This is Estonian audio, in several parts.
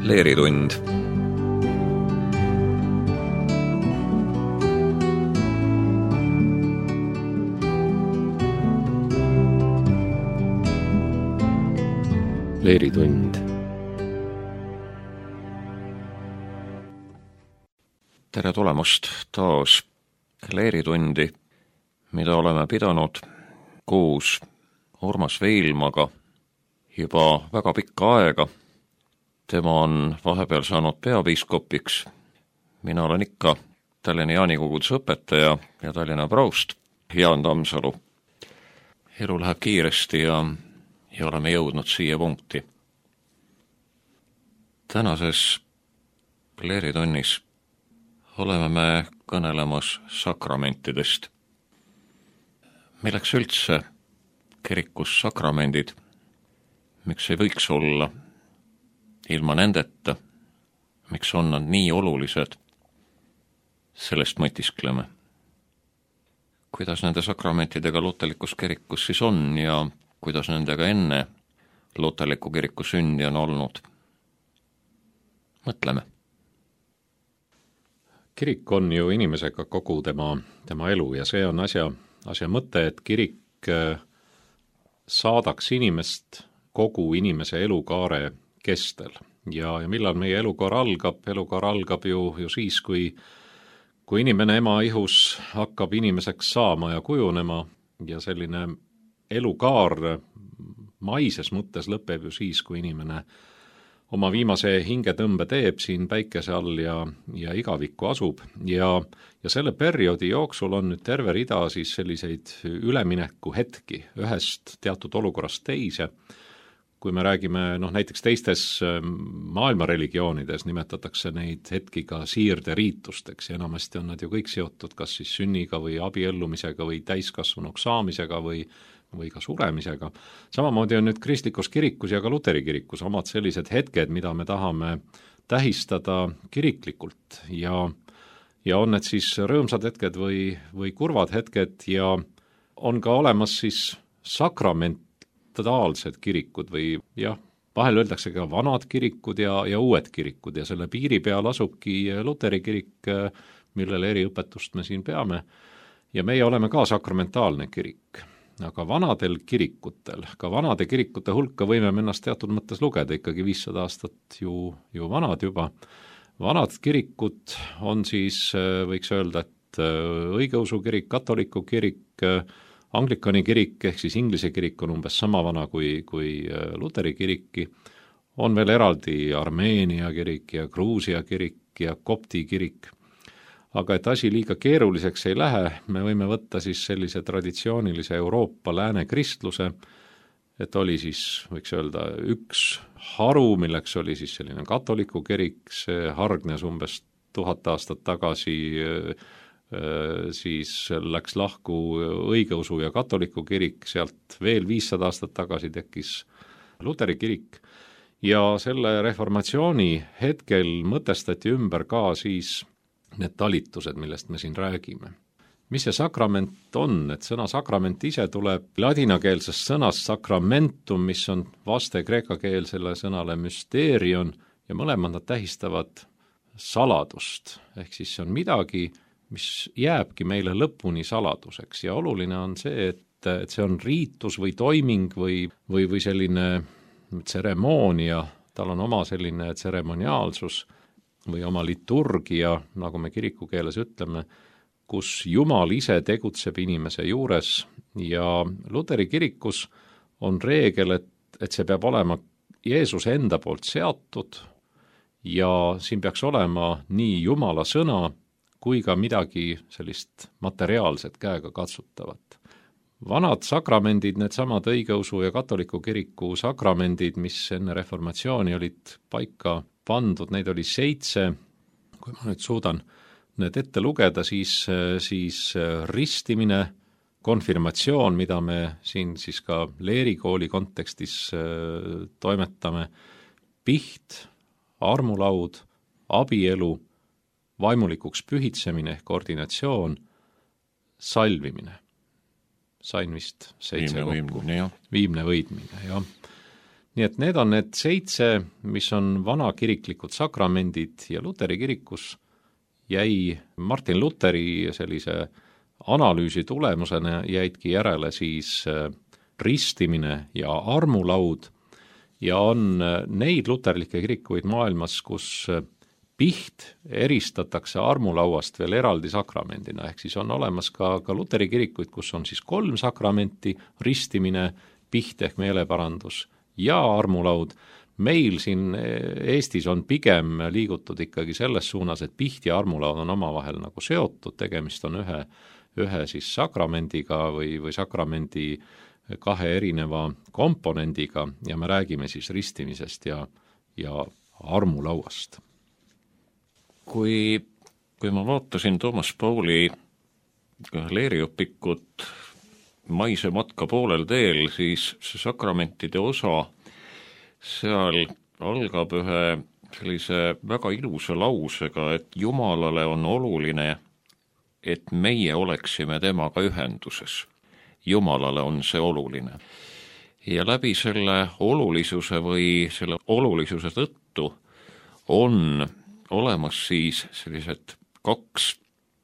Leeritund. Leeritund. Tere tulemast taas Leeritundi, mida oleme pidanud koos Urmas Veilmaga juba väga pikka aega. Tema on vahepeal saanud peapiiskopiks. Mina olen ikka Tallinna Jaanikogudes õpetaja ja Tallinna praust Jaan Tammsalu. Elu läheb kiiresti ja oleme jõudnud siia punkti. Tänases Leeritunnis oleme me kõnelemas sakramentidest. Milleks üldse kirikus sakramendid? Miks ei võiks olla ilma nendeta? Miks on nad nii olulised? Sellest mõtiskleme. Kuidas nende sakramentidega luterlikus kirikus siis on ja kuidas nendega enne luterliku kiriku sündi on olnud? Mõtleme. Kirik on ju inimesega kogu tema elu ja see on asja mõte, et kirik saadaks inimest kogu inimese elukaare kestel. Ja millal meie elukaar algab? Elukaar algab ju siis, kui inimene ema ihus hakkab inimeseks saama ja kujunema ja selline elukaar maises mõttes lõpeb ju siis, kui inimene oma viimase hingetõmbe teeb siin päikese all ja igavikku asub. Ja selle perioodi jooksul on nüüd terve rida siis selliseid ülemineku hetki ühest teatud olukorrast teise. Kui me räägime, näiteks teistes maailma religioonides nimetatakse neid hetki ka siirderiitusteks ja enamasti on nad ju kõik seotud kas siis sünniga või abiellumisega või täiskasvanuks saamisega või ka suremisega. Samamoodi on nüüd kristlikus kirikus ja ka luteri kirikus omad sellised hetked, mida me tahame tähistada kiriklikult ja on need siis rõõmsad hetked või kurvad hetked ja on ka olemas siis sakramentaalsed kirikud või vahel öeldakse ka vanad kirikud ja uued kirikud ja selle piiri peal asubki luteri kirik, millele eriõpetust me siin peame ja meie oleme ka sakramentaalne kirik. Aga vanadel kirikutel, ka vanade kirikute hulka võime ennast teatud mõttes lugeda, ikkagi 500 aastat ju vanad juba. Vanad kirikud on siis, võiks öelda, et õigeusu kirik, katoliku kirik, anglikani kirik, ehk siis inglise kirik on umbes sama vana kui luteri kiriki. On veel eraldi Armeenia kirik ja Gruusia kirik ja kopti kirik. Aga et asi liiga keeruliseks ei lähe, me võime võtta siis sellise traditsioonilise Euroopa lääne kristluse, et oli siis, võiks öelda, üks haru, milleks oli siis selline katoliku kirik, see hargnes umbes 1000 aastat tagasi, siis läks lahku õigeusu ja katoliku kirik, sealt veel 500 aastat tagasi tekkis luteri kirik ja selle reformatsiooni hetkel mõtestati ümber ka siis need talitused, millest me siin räägime. Mis see sakrament on? Et sõna sakrament ise tuleb ladinakeelsest sõnast sacramentum, mis on vaste kreekakeelsele sõnale mysterion ja mõlemad nad tähistavad saladust. Ehk siis see on midagi, mis jääbki meile lõpuni saladuseks ja oluline on see, et see on riitus või toiming või selline tseremoonia, tal on oma selline tseremoniaalsus või oma liturgia, nagu me kirikukeeles ütleme, kus Jumal ise tegutseb inimese juures ja luteri kirikus on reegel, et see peab olema Jeesuse enda poolt seatud ja siin peaks olema nii Jumala sõna kui ka midagi sellist materiaalset käega katsutavat. Vanad sakramendid, needsamad õigeusu ja katoliku kiriku sakramendid, mis enne reformatsiooni olid paika pandud, neid oli 7, kui ma nüüd suudan need ette lugeda, siis ristimine, konfirmatsioon, mida me siin siis ka leerikooli kontekstis toimetame, piht, armulaud, abielu, vaimulikuks pühitsemine ehk ordinatsioon, salvimine. Sain vist 7 kokku. Viimne võidmine, jah. nii et need on need 7, mis on vanakiriklikud sakramendid ja Luteri kirikus jäi Martin Luteri sellise analüüsi tulemusena jäidki järele siis ristimine ja armulaud ja on neid luterlikke kirikuid maailmas, kus piht eristatakse armulauast veel eraldi sakramendina, ehk siis on olemas ka Luteri kirikuid, kus on siis 3 sakramenti, ristimine, piht ehk meeleparandus ja armulaud. Meil siin Eestis on pigem liigutud ikkagi selles suunas, et piht ja armulaud on omavahel nagu seotud, tegemist on ühe siis sakramendiga või sakramendi 2 erineva komponendiga ja me räägime siis ristimisest ja armulauast. Kui ma vaatasin Toomas Pauli leeriõpikut Maise matka poolel teel, siis see sakramentide osa seal algab ühe sellise väga ilusa lausega, et Jumalale on oluline, et meie oleksime temaga ühenduses. Jumalale on see oluline. Ja läbi selle olulisuse või selle olulisuse tõttu on olemas siis sellised 2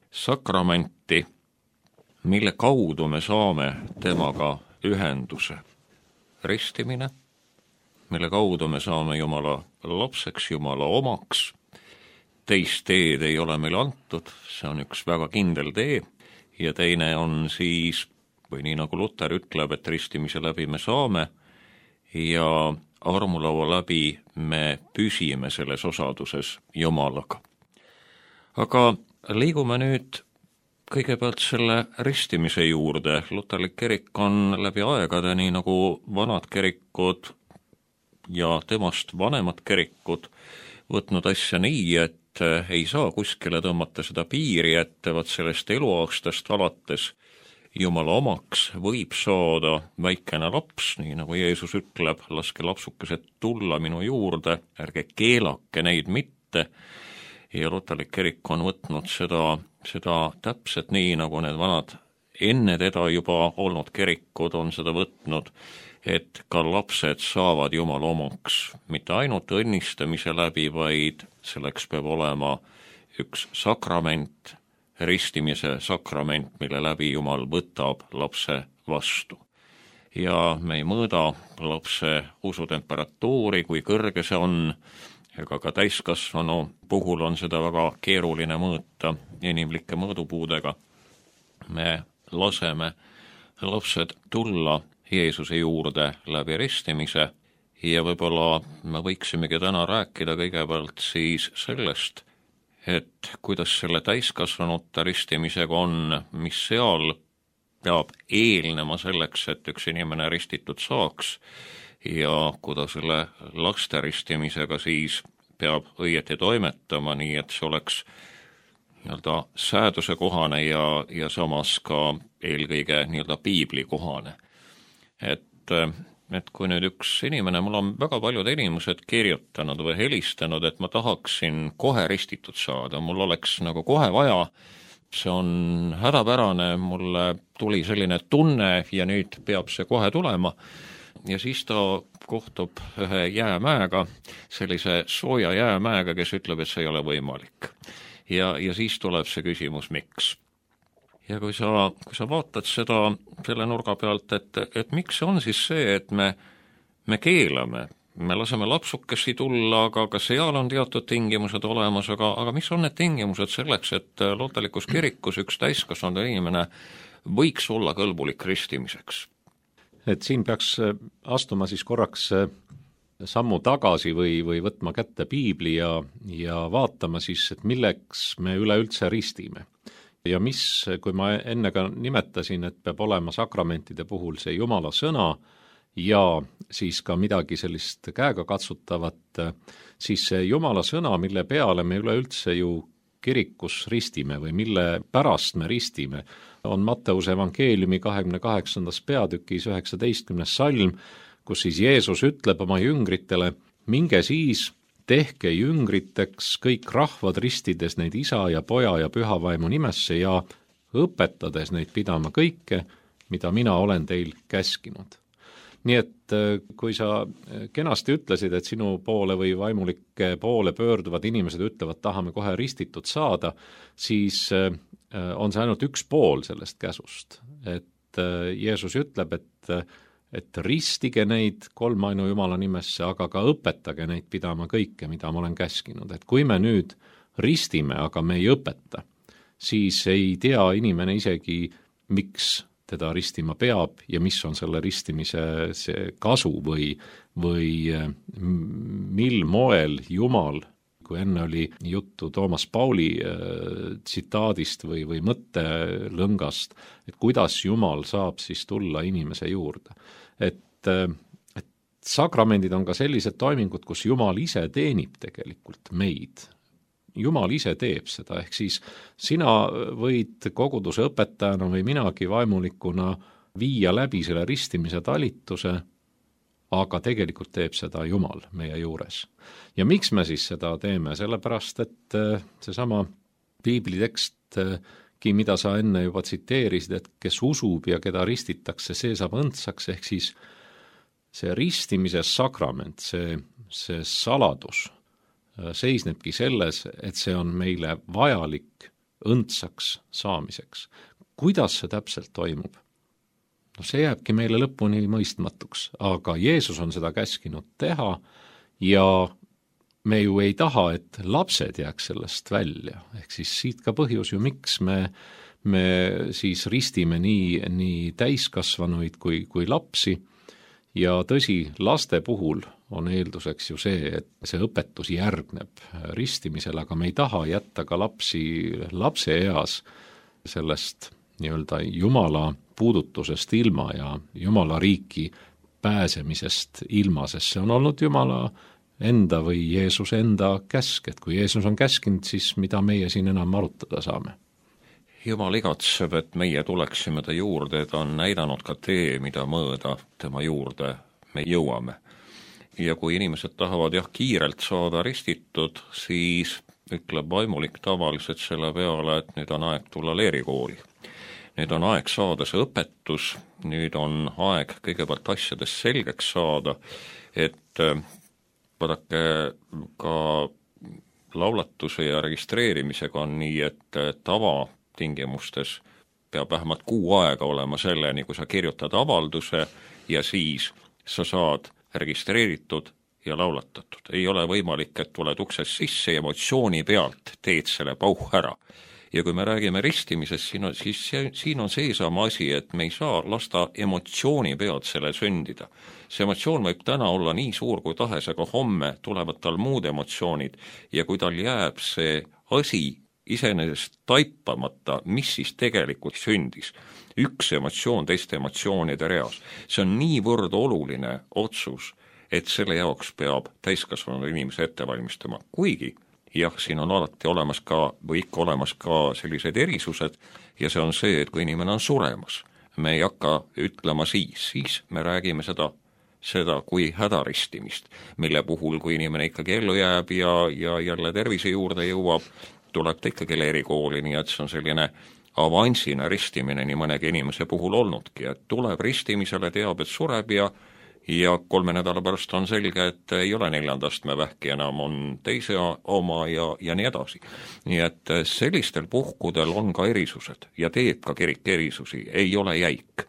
sakramenti, mille kaudu me saame temaga ühenduse. Ristimine, mille kaudu me saame Jumala lapseks, Jumala omaks. Teist teed ei ole meile antud, see on üks väga kindel tee, ja teine on siis, või nii nagu Luter ütleb, et ristimise läbi me saame, ja armulaua läbi me püsime selles osaduses Jumalaga. Aga liigume nüüd kõigepealt selle ristimise juurde. Luterlik kirik on läbi aegade, nii nagu vanad kirikud ja temast vanemad kirikud, võtnud asja nii, et ei saa kuskile tõmmata seda piiri, et vaat sellest eluaastast alates Jumala omaks võib saada väikene laps, nii nagu Jeesus ütleb, laske lapsukesed tulla minu juurde, ärge keelake neid mitte. Ja luterlik kirik on võtnud seda täpselt nii, nagu need vanad enne teda juba olnud kirikud on seda võtnud, et ka lapsed saavad Jumala omaks, mitte ainult õnnistamise läbi, vaid selleks peab olema üks sakrament, ristimise sakrament, mille läbi Jumal võtab lapse vastu. Ja me ei mõõda lapse usutemperatuuri, kui kõrge see on, ega ka täiskasvanu puhul on seda väga keeruline mõõta inimlike mõõdupuudega. Me laseme lapsed tulla Jeesuse juurde läbi ristimise ja võib-olla me võiksimegi täna rääkida kõigepealt siis sellest, et kuidas selle täiskasvanute ristimisega on, mis seal peab eelnema selleks, et üks inimene ristitud saaks ja kuidas selle laste ristimisega siis peab õieti toimetama, nii et see oleks nii-öelda sääduse kohane ja samas ka eelkõige nii-öelda piibli kohane. Et kui nüüd üks inimene, mul on väga paljud inimesed kirjutanud või helistanud, et ma tahaksin kohe ristitud saada, mul oleks nagu kohe vaja, see on hädapärane, mulle tuli selline tunne ja nüüd peab see kohe tulema. Ja siis ta kohtub ühe jäämäega, sellise sooja jäämäega, kes ütleb, et see ei ole võimalik. Ja siis tuleb see küsimus, miks. Ja kui sa vaatad seda selle nurga pealt, et miks on siis see, et me keelame, me laseme lapsukesi tulla, aga seal on teatud tingimused olemas, aga mis on need tingimused selleks, et luterlikus kirikus üks täiskasvanud inimene võiks olla kõlbulik ristimiseks? Et siin peaks astuma siis korraks sammu tagasi või võtma kätte piibli ja vaatama siis, et milleks me üleüldse ristime. Ja mis, kui ma enne ka nimetasin, et peab olema sakramentide puhul see Jumala sõna ja siis ka midagi sellist käega katsutavat, siis see Jumala sõna, mille peale me üleüldse ju kirikus ristime või mille pärast me ristime, on Matteuse evangeeliumi 28. peatükis 19. salm, kus siis Jeesus ütleb oma jüngritele, minge siis, tehke jüngriteks kõik rahvad ristides neid isa ja poja ja püha vaimu nimesse ja õpetades neid pidama kõike, mida mina olen teil käskinud. nii et kui sa kenasti ütlesid, et sinu poole või vaimulike poole pöörduvad inimesed ütlevad, tahame kohe ristitud saada, siis on see ainult üks pool sellest käsust. Et Jeesus ütleb, et ristige neid kolmainu Jumala nimesse, aga ka õpetage neid pidama kõike, mida ma olen käskinud. Et kui me nüüd ristime, aga me ei õpeta, siis ei tea inimene isegi, miks teda ristima peab ja mis on selle ristimise see kasu või mil moel Jumal, kui enne oli juttu Toomas Pauli tsitaadist või mõttelõngast, et kuidas Jumal saab siis tulla inimese juurde. Et sakramendid on ka sellised toimingud, kus Jumal ise teenib tegelikult meid. Jumal ise teeb seda, ehk siis sina võid koguduse õpetajana või minagi vaimulikuna viia läbi selle ristimise talituse, aga tegelikult teeb seda Jumal meie juures. Ja miks me siis seda teeme? Sellepärast, et seesama piiblitekst, mida sa enne juba tsiteerisid, et kes usub ja keda ristitakse, see saab õndsaks, ehk siis see ristimise sakrament, see saladus seisnebki selles, et see on meile vajalik õndsaks saamiseks. Kuidas see täpselt toimub? No see jääbki meile lõpuni mõistmatuks, aga Jeesus on seda käskinud teha ja me ju ei taha, et lapsed jääks sellest välja. Ehk siis siit ka põhjus ju, miks me siis ristime nii täiskasvanuid kui lapsi. Ja tõsi, laste puhul on eelduseks ju see, et see õpetus järgneb ristimisele, aga me ei taha jätta ka lapse eas sellest nii-öelda Jumala puudutusest ilma ja Jumala riiki pääsemisest ilma, sest see on olnud Jumala enda või Jeesuse enda käsk, et kui Jeesus on käskinud, siis mida meie siin enam arutada saame. Jumal igatseb, et meie tuleksime ta juurde, ta on näidanud ka tee, mida mööda tema juurde me jõuame. Ja kui inimesed tahavad kiirelt saada ristitud, siis ütleb vaimulik tavaliselt selle peale, et nüüd on aeg tulla leerikooli. Nüüd on aeg saada see õpetus, nüüd on aeg kõigepealt asjadest selgeks saada, et vaadake ka laulatuse ja registreerimisega on nii, et tingimustes peab vähemalt 6 aega olema selleni, kui sa kirjutad avalduse ja siis sa saad registreeritud ja laulatatud. Ei ole võimalik, et tuled uksest sisse ja emotsiooni pealt teed selle pauh ära. Ja kui me räägime ristimisest, siis siin on seesama asi, et me ei saa lasta emotsiooni pealt selle sündida. See emotsioon võib täna olla nii suur kui tahes, aga homme tulevad tal muud emotsioonid ja kui tal jääb see asi iseenesest taipamata, mis siis tegelikult sündis. Üks emotsioon teiste emotsioonide reas. See on niivõrd oluline otsus, et selle jaoks peab täiskasvanud inimese ette valmistama. Kuigi, siin on alati olemas ka, või ikka olemas ka sellised erisused, ja see on see, et kui inimene on suremas, me ei hakka ütlema siis me räägime seda kui hädaristimist, mille puhul, kui inimene ikkagi ellu jääb ja jälle tervise juurde jõuab, tuleb ta ikkagi leerikooli, nii et see on selline avansina ristimine nii mõnegi inimese puhul olnudki, et tuleb ristimisele, teab, et sureb ja 3 nädala pärast on selge, et ei ole 4. astme vähki enam, on teise oma ja nii edasi. Nii et sellistel puhkudel on ka erisused ja teeb ka kirik erisusi, ei ole jäik.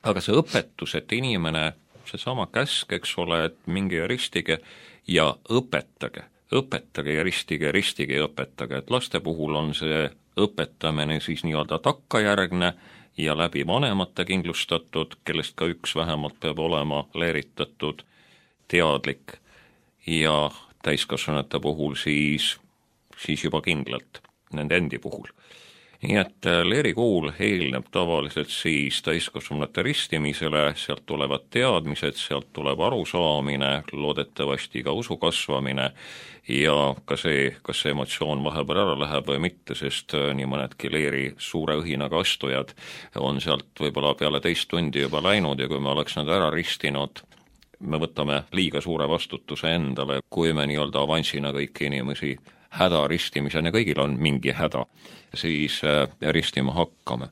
Aga see õpetus, et inimene, seesama käsk, eks ole, et minge ja ristige ja õpetage ja ristige ja õpetage, et laste puhul on see õpetamine siis nii-öelda takkajärgne ja läbi vanemate kindlustatud, kellest ka üks vähemalt peab olema leeritatud, teadlik ja täiskasvanute puhul siis juba kindlalt nende endi puhul. Nii et leerikool eelneb tavaliselt siis täiskasvanute ristimisele, sealt tulevad teadmised, sealt tuleb arusaamine, loodetavasti ka usu kasvamine ja ka see, kas see emotsioon vahepeal ära läheb või mitte, sest nii mõnedki leeri suure õhinaga astujad on sealt võib-olla peale 2 tundi juba läinud ja kui me oleks nad ära ristinud, me võtame liiga suure vastutuse endale, kui me nii-öelda avansina kõiki inimesi häda ristimisena, kõigil on mingi häda, siis ristima hakkame.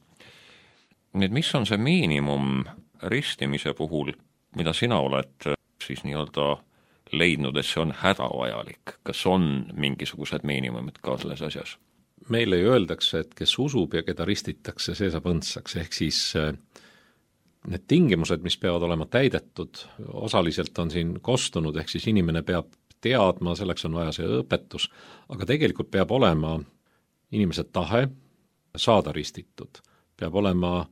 Nüüd, mis on see miinimum ristimise puhul? mida sina oled siis nii-öelda leidnud, et see on hädavajalik? Kas on mingisugused miinimumid ka selles asjas? Meile ju öeldakse, et kes usub ja keda ristitakse, see saab õndsaks, ehk siis need tingimused, mis peavad olema täidetud, osaliselt on siin kostunud, ehk siis inimene peab teadma, selleks on vaja see õpetus, aga tegelikult peab olema inimese tahe saada ristitud, peab olema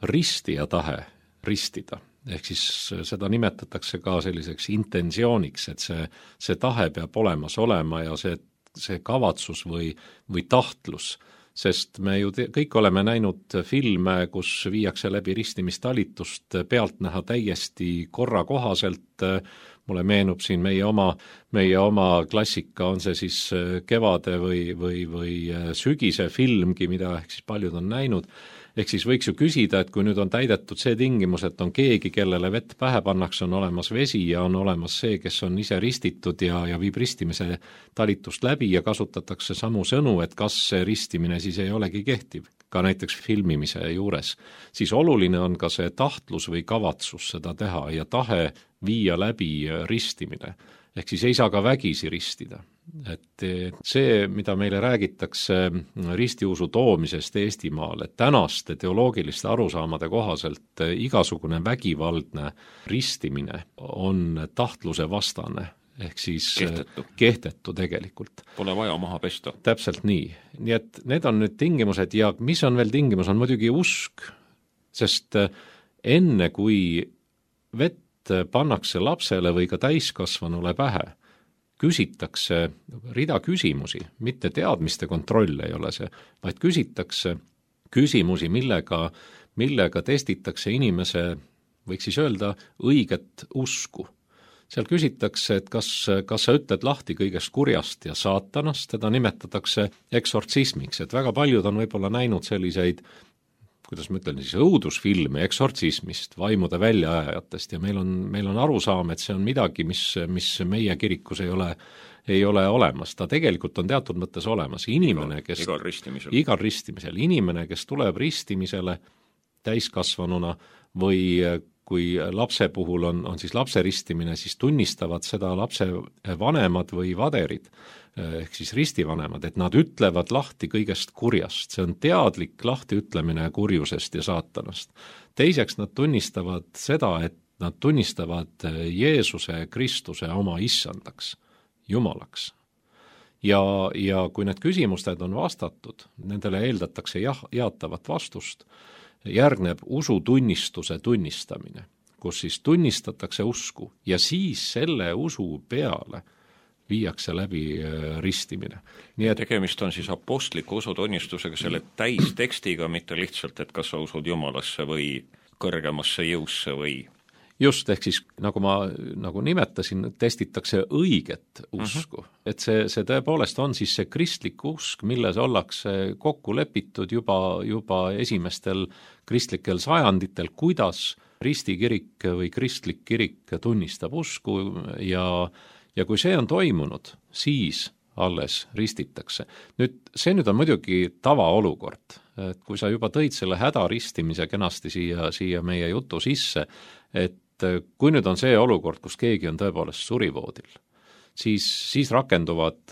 ristija tahe ristida, ehk siis seda nimetatakse ka selliseks intentsiooniks, et see tahe peab olemas olema ja see kavatsus või tahtlus, sest me ju kõik oleme näinud filme, kus viiakse läbi ristimistalitust pealtnäha täiesti korrakohaselt. Mulle meenub siin meie oma klassika, on see siis kevade või sügise filmgi, mida ehk siis paljud on näinud. Ehk siis võiks ju küsida, et kui nüüd on täidetud see tingimus, et on keegi, kellele vett pähe pannakse, on olemas vesi ja on olemas see, kes on ise ristitud ja viib ristimise talitust läbi ja kasutatakse samu sõnu, et kas see ristimine siis ei olegi kehtiv, ka näiteks filmimise juures, siis oluline on ka see tahtlus või kavatsus seda teha ja tahe viia läbi ristimine. Ehk siis ei saa ka vägisi ristida. Et see, mida meile räägitakse ristiusu toomisest Eestimaale, tänaste teoloogiliste arusaamade kohaselt igasugune vägivaldne ristimine on tahtluse vastane, ehk siis kehtetu tegelikult. Pole vaja maha pesta. Täpselt nii. Nii et need on nüüd tingimused ja mis on veel tingimus, on muidugi usk, sest enne kui vett pannakse lapsele või ka täiskasvanule pähe, küsitakse rida küsimusi, mitte teadmiste kontroll ei ole see, vaid küsitakse küsimusi, millega testitakse inimese, võiks siis öelda, õiget usku. Seal küsitakse, et kas sa ütled lahti kõigest kurjast ja saatanast, teda nimetatakse eksortsismiks, et väga paljud on võib-olla näinud selliseid, kuidas ma ütlen, siis õudusfilme eksortsismist, vaimude väljaajajatest ja meil on arusaam, et see on midagi, mis meie kirikus ei ole olemas. Ta tegelikult on teatud mõttes olemas. Inimene, kes igal ristimisel. Inimene, kes tuleb ristimisele täiskasvanuna või kui lapse puhul on siis lapse ristimine, siis tunnistavad seda lapse vanemad või vaderid, ehk siis ristivanemad, et nad ütlevad lahti kõigest kurjast. See on teadlik lahtiütlemine kurjusest ja saatanast. Teiseks nad tunnistavad seda, et nad tunnistavad Jeesuse Kristuse oma issandaks, Jumalaks. Ja kui need küsimused on vastatud, nendele eeldatakse jaatavat vastust, järgneb usutunnistuse tunnistamine, kus siis tunnistatakse usku ja siis selle usu peale viiakse läbi ristimine. Nii et tegemist on siis apostliku usutunnistusega, selle täistekstiga, mitte lihtsalt, et kas sa usud Jumalasse või kõrgemasse jõusse või just, ehk siis nagu ma nimetasin, testitakse õiget usku. Et see tõepoolest on siis see kristlik usk, milles ollakse kokku lepitud juba esimestel kristlikel sajanditel, kuidas ristikirik või kristlik kirik tunnistab usku ja kui see on toimunud, siis alles ristitakse. See on muidugi tavaolukord, et kui sa juba tõid selle hädaristimise kenasti siia meie jutu sisse, et kui nüüd on see olukord, kus keegi on tõepoolest surivoodil, siis rakenduvad,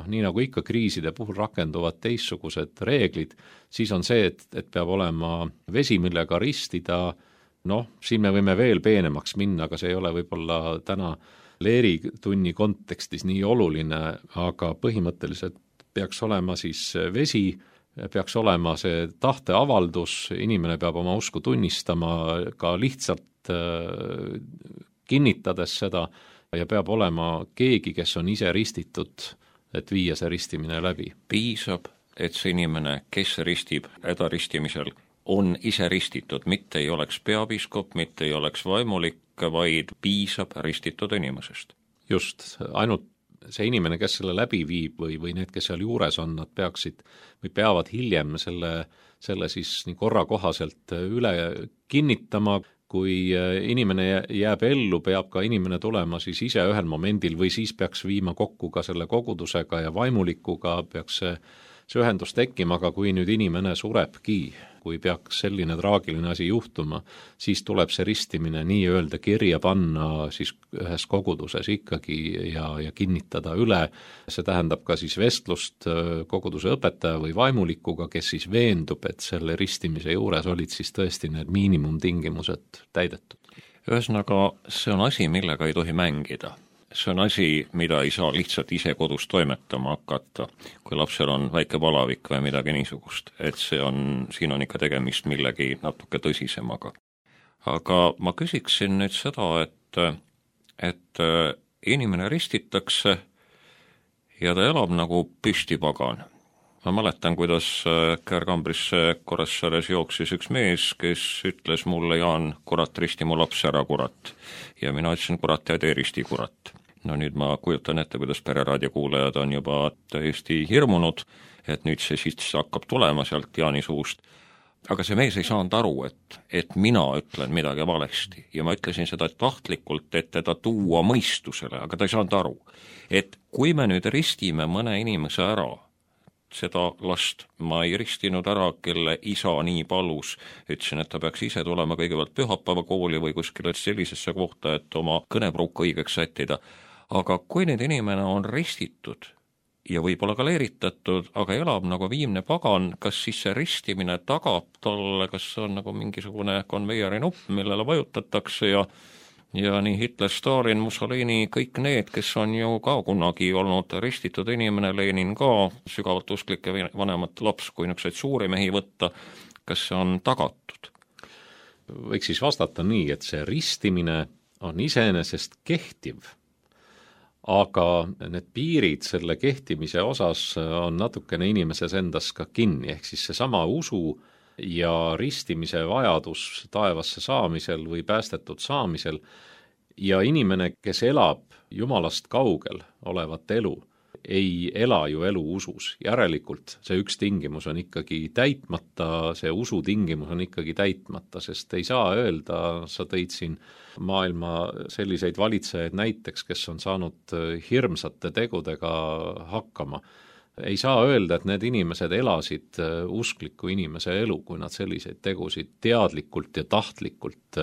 nii nagu ikka kriiside puhul rakenduvad teistsugused reeglid, siis on see, et peab olema vesi, millega ristida, siin me võime veel peenemaks minna, aga see ei ole võib-olla täna leeritunni kontekstis nii oluline, aga põhimõtteliselt peaks olema siis vesi, peaks olema see tahteavaldus, inimene peab oma usku tunnistama ka lihtsalt kinnitades seda ja peab olema keegi, kes on ise ristitud, et viia see ristimine läbi. Piisab, et see inimene, kes ristib hädaristimisel, on ise ristitud, mitte ei oleks peapiiskop, mitte ei oleks vaimulik, vaid piisab ristitud inimesest. Just, ainult see inimene, kes selle läbi viib või need, kes seal juures on, nad peavad hiljem selle siis nii korra kohaselt üle kinnitama. Kui inimene jääb ellu, peab ka inimene tulema siis ise ühel momendil või siis peaks viima kokku ka selle kogudusega ja vaimulikuga, peaks see ühendus tekkima, aga kui nüüd inimene surebki, kui peaks selline traagiline asi juhtuma, siis tuleb see ristimine nii-öelda kirja panna siis ühes koguduses ikkagi ja kinnitada üle. See tähendab ka siis vestlust koguduse õpetaja või vaimulikuga, kes siis veendub, et selle ristimise juures olid siis tõesti need miinimumtingimused täidetud. Ühesõnaga, see on asi, millega ei tohi mängida. See on asi, mida ei saa lihtsalt ise kodus toimetama hakata, kui lapsel on väike palavik või midagi niisugust, et siin on ikka tegemist millegi natuke tõsisemaga. Aga ma küsiksin nüüd seda, et inimene ristitakse ja ta elab nagu püstipagan. Ma mäletan, kuidas Käärkambrisse Kuressaares jooksis üks mees, kes ütles mulle, Jaan, kurat, risti mu laps ära, kurat. Ja mina ütlesin, kurat, ja tee risti, kurat. No nüüd ma kujutan ette, kuidas Pereraadio kuulajad on juba täiesti hirmunud, et nüüd see siis hakkab tulema sealt Jaani suust. Aga see mees ei saanud aru, et mina ütlen midagi valesti. Ja ma ütlesin seda tahtlikult, et teda tuua mõistusele, aga ta ei saanud aru. Et kui me nüüd ristime mõne inimese ära, seda last ma ei ristinud ära, kelle isa nii palus, ütlesin, et ta peaks ise tulema kõigepealt pühapäeva kooli või kuskile sellisesse kohta, et oma kõnepruuk õigeks sättida. Aga kui nüüd inimene on ristitud ja võib-olla ka leeritatud, aga elab nagu viimne pagan, kas siis see ristimine tagab talle, kas see on nagu mingisugune konveieri nupp, millele vajutatakse ja nii Hitler, Stalin, Mussolini, kõik need, kes on ju ka kunagi olnud ristitud inimene, Lenin ka, sügavalt usklik ja vanemat laps, kui niisuguseid suuri mehi võtta, kas see on tagatud? Võiks siis vastata nii, et see ristimine on iseenesest kehtiv, aga need piirid selle kehtimise osas on natukene inimeses endas ka kinni, ehk siis seesama usu ja ristimise vajadus taevasse saamisel või päästetud saamisel ja inimene, kes elab Jumalast kaugel olevat elu, ei ela ju elu usus. Järelikult see üks tingimus on ikkagi täitmata, see usu tingimus on ikkagi täitmata, sest ei saa öelda, sa tõid siin maailma selliseid valitsejaid näiteks, kes on saanud hirmsate tegudega hakkama. Ei saa öelda, et need inimesed elasid uskliku inimese elu, kui nad selliseid tegusid teadlikult ja tahtlikult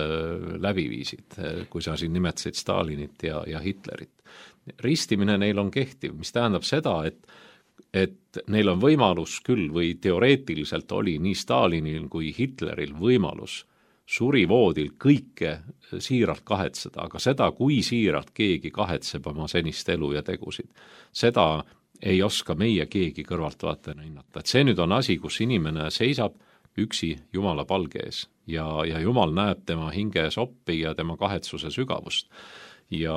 läbi viisid, kui sa siin nimetasid Stalinit ja Hitlerit. Ristimine neil on kehtiv, mis tähendab seda, et neil on võimalus küll või teoreetiliselt oli nii Stalinil kui Hitleril võimalus surivoodil kõike siiralt kahetseda, aga seda, kui siiralt keegi kahetseb oma senist elu ja tegusid, seda ei oska meie keegi kõrvaltvaatajana hinnata. Et see nüüd on asi, kus inimene seisab üksi Jumala palge ees ja Jumal näeb tema hinge soppi ja tema kahetsuse sügavust. Ja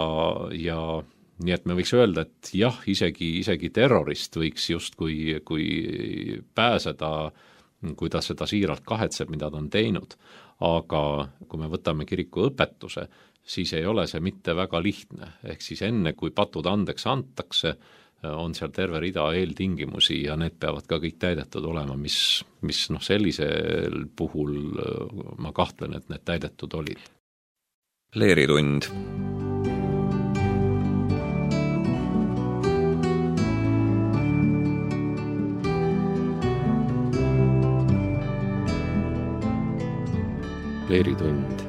nii et me võiks öelda, et jah, isegi terrorist võiks justkui pääseda, kui ta seda siiralt kahetseb, mida ta on teinud. Aga kui me võtame kiriku õpetuse, siis ei ole see mitte väga lihtne. Ehk siis enne, kui patud andeks antakse, on seal terve rida eeltingimusi ja need peavad ka kõik täidetud olema, mis sellisel puhul ma kahtlen, et need täidetud olid. Leeritund. Leeritund.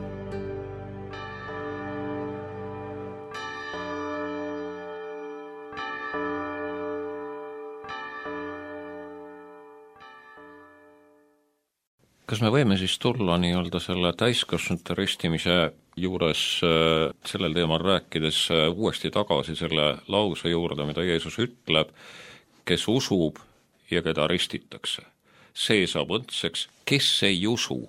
Kas me võime siis tulla nii-öelda selle täiskasvanute ristimise juures sellel teemal rääkides uuesti tagasi selle lause juurde, mida Jeesus ütleb, kes usub ja keda ristitakse. See saab õndseks, kes ei usu,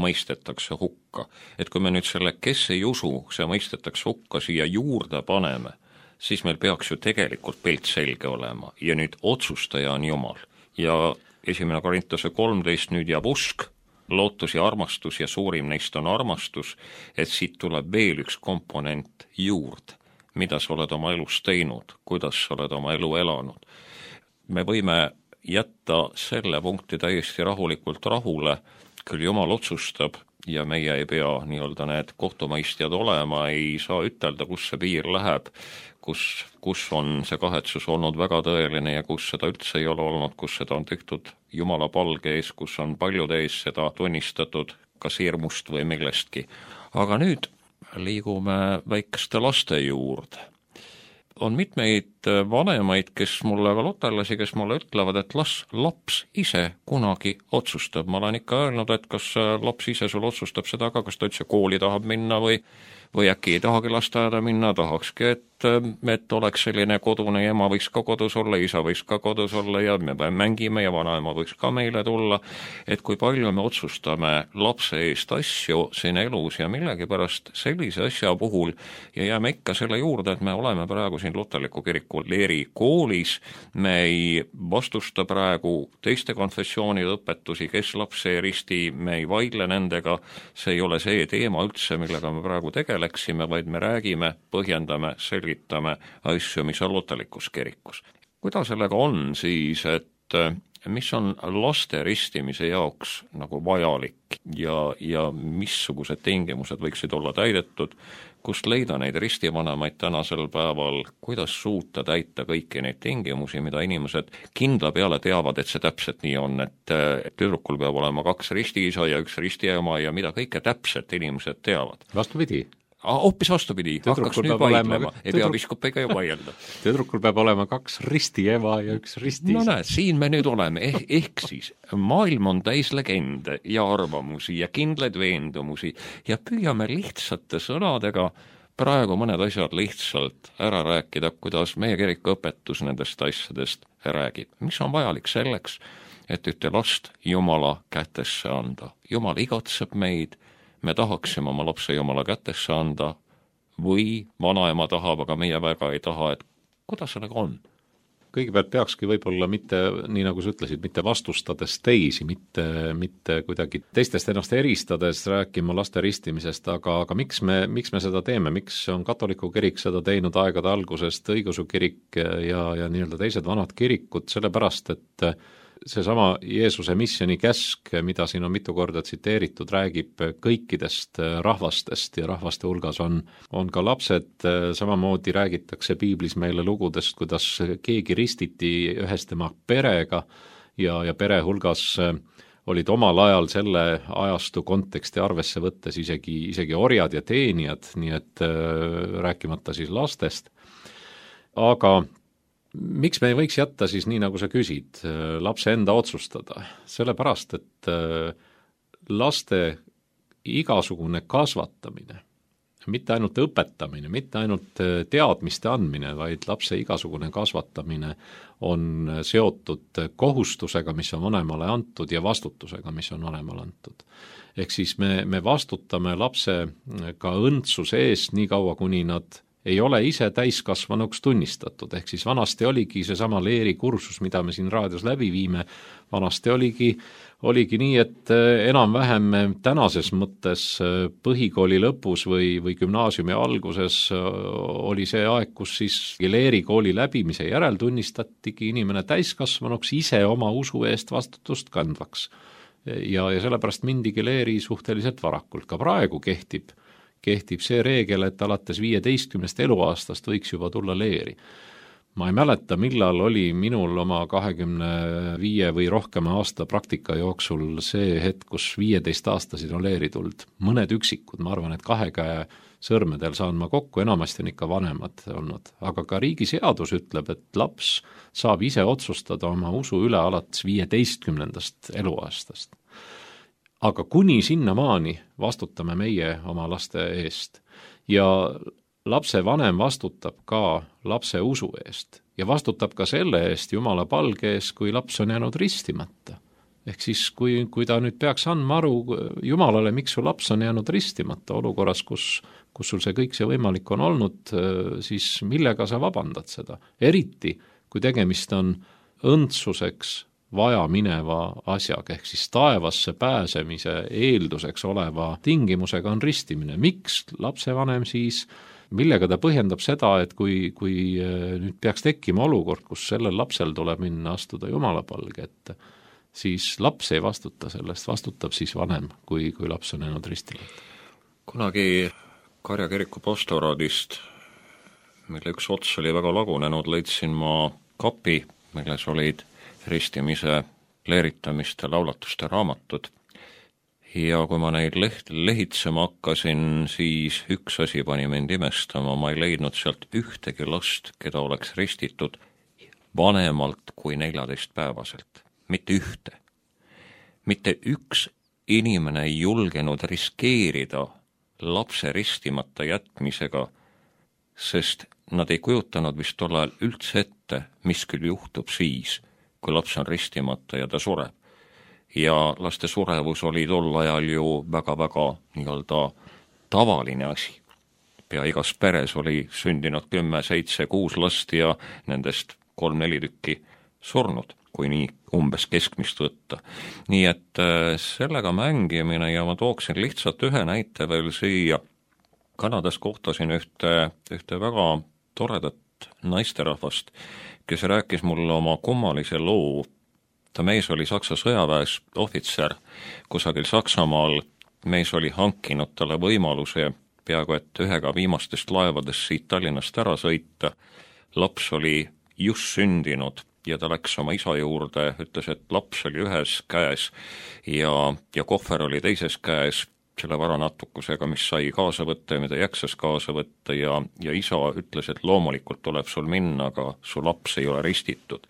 mõistetakse hukka. Et kui me nüüd selle, kes ei usu, see mõistetakse hukka siia juurde paneme, siis meil peaks ju tegelikult pilt selge olema ja nüüd otsustaja on Jumal. Ja 1. Korintuse 13 nüüd jääb usk, lootus ja armastus ja suurim neist on armastus, et siit tuleb veel üks komponent juurde, mida sa oled oma elus teinud, kuidas sa oled oma elu elanud. Me võime jätta selle punkti täiesti rahulikult rahule, küll Jumal otsustab, ja meie ei pea nii-öelda need kohtumõistjad olema, ei saa ütelda, kus see piir läheb, kus on see kahetsus olnud väga tõeline ja kus seda üldse ei ole olnud, kus seda on tehtud Jumala palge ees, kus on paljude ees seda tunnistatud kas hirmust või millestki. Aga nüüd liigume väikeste laste juurde. On mitmeid vanemaid, kes mulle, ka lutellasi, kes mulle ütlevad, et laps ise kunagi otsustab. Ma olen ikka öelnud, et kas laps ise sul otsustab seda ka, kas ta üldse kooli tahab minna või äkki ei tahagi lasteaeda minna, tahakski, et oleks selline kodune ja ema võiks ka kodus olla, isa võiks ka kodus olla ja me mängime ja vanaema võiks ka meile tulla, et kui palju me otsustame lapse eest asju siin elus ja millegipärast sellise asja puhul ja jääme ikka selle juurde, et me oleme praegu siin Luterliku kiriku Leeri koolis, me ei vastusta praegu teiste konfessioonide õpetusi, kes lapse ei risti, me ei vaidle nendega, see ei ole see teema üldse, millega me praegu tegeleksime, vaid me räägime, põhjendame, selgitame asju, mis on luterlikus kirikus. Kuidas sellega on siis, et mis on laste ristimise jaoks nagu vajalik ja missugused tingimused võiksid olla täidetud, kust leida neid ristivanemaid tänasel päeval, kuidas suuta täita kõiki neid tingimusi, mida inimesed kindla peale teavad, et see täpselt nii on, et tüdrukul peab olema 2 ristiisa ja 1 ristiema ja mida kõike täpselt inimesed teavad. Vastupidi. Hoopis vastupidi, hakkaks nüüd vaidlema, ei pea viskupiga ju vaielda. Tüdrukul peab olema 2 ristiema ja 1 ristiisa. No näed, siin me nüüd oleme, ehk siis maailm on täis legende ja arvamusi ja kindlaid veendumusi ja püüame lihtsate sõnadega praegu mõned asjad lihtsalt ära rääkida, kuidas meie kiriku õpetus nendest asjadest räägib. Mis on vajalik selleks, et ühte last Jumala kätesse anda? Jumal igatseb meid, me tahaksime oma lapse Jumala kätesse anda või vanaema tahab, aga meie väga ei taha, et kuidas sellega on? Kõigepealt peakski võib-olla mitte, nii nagu sa ütlesid, mitte vastustades teisi, mitte kuidagi teistest ennast eristades rääkima laste ristimisest, aga miks me seda teeme, miks on katoliku kirik seda teinud aegade algusest, õigeusu kirik ja nii-öelda teised vanad kirikud, sellepärast, et seesama Jeesuse missiooni käsk, mida siin on mitu korda tsiteeritud, räägib kõikidest rahvastest ja rahvaste hulgas on ka lapsed, samamoodi räägitakse piiblis meile lugudest, kuidas keegi ristiti ühes tema perega ja pere hulgas olid omal ajal selle ajastu konteksti arvesse võttes isegi orjad ja teenijad, nii et rääkimata siis lastest. Aga miks me ei võiks jätta siis nii, nagu sa küsid, lapse enda otsustada? Sellepärast, et laste igasugune kasvatamine, mitte ainult õpetamine, mitte ainult teadmiste andmine, vaid lapse igasugune kasvatamine on seotud kohustusega, mis on vanemale antud ja vastutusega, mis on vanemale antud. Ehk siis me vastutame lapse ka õndsuse eest nii kaua, kuni nad ei ole ise täiskasvanuks tunnistatud, ehk siis vanasti oligi seesama Leeri kursus, mida me siin raadios läbi viime, vanasti oligi nii, et enam-vähem tänases mõttes põhikooli lõpus või gümnaasiumi alguses oli see aeg, kus siis Leeri kooli läbimise järel tunnistatigi inimene täiskasvanuks ise oma usu eest vastutust kandvaks. Ja sellepärast mindigi Leeri suhteliselt varakult, ka praegu kehtib see reegel, et alates 15 eluaastast võiks juba tulla Leeri. Ma ei mäleta, millal oli minul oma 25 või rohkema aasta praktika jooksul see hetk, kus 15-aastasid on Leeri tuld. Mõned üksikud, ma arvan, et 2 käe sõrmedel saan ma kokku, enamasti on ikka vanemad olnud. Aga ka riigi seadus ütleb, et laps saab ise otsustada oma usu üle alates 15. eluaastast. Aga kuni sinnamaani vastutame meie oma laste eest ja lapse vanem vastutab ka lapse usu eest ja vastutab ka selle eest Jumala palge ees, kui laps on jäänud ristimata. Ehk siis, kui ta nüüd peaks andma aru Jumalale, miks su laps on jäänud ristimata olukorras, kus sul see kõik see võimalik on olnud, siis millega sa vabandad seda? Eriti, kui tegemist on õndsuseks vaja mineva asjaga, ehk siis taevasse pääsemise eelduseks oleva tingimusega on ristimine. Miks lapsevanem siis, millega ta põhjendab seda, et kui nüüd peaks tekkima olukord, kus sellel lapsel tuleb minna astuda Jumala palge ette, siis laps ei vastuta sellest, vastutab siis vanem, kui laps on jäänud ristimata. Kunagi Karja kiriku pastoraadist, mille üks ots oli väga lagunenud, leidsin ma kapi, milles olid ristimise, leeritamiste, laulatuste raamatud. Ja kui ma neid lehitsema hakkasin, siis üks asi pani mind imestama, ma ei leidnud sealt ühtegi last, keda oleks ristitud vanemalt kui 14-päevaselt. Mitte ühte. Mitte üks inimene ei julgenud riskeerida lapse ristimata jätmisega, sest nad ei kujutanud vist tol ajal üldse ette, mis küll juhtub siis, kui laps on ristimata ja ta sureb. Ja laste surevus oli tol ajal ju väga-väga nii-öelda tavaline asi. Pea igas peres oli sündinud 10, 7, 6 last ja nendest 3-4 tükki surnud, kui nii umbes keskmist võtta. Nii et sellega mängimine ja ma tooksin lihtsalt ühe näite veel siia. Kanadas kohtasin ühte väga toredat naisterahvast, kes rääkis mulle oma kummalise loo. Ta mees oli Saksa sõjaväes ohvitser kusagil Saksamaal. Mees oli hankinud talle võimaluse peaaegu et ühega viimastest laevadest siit Tallinnast ära sõita. Laps oli just sündinud ja ta läks oma isa juurde, ütles, et laps oli ühes käes ja kohver oli teises käes, selle varanatukusega, mis sai kaasa võtta ja mida jaksas kaasa võtta ja isa ütles, et loomulikult tuleb sul minna, aga su laps ei ole ristitud.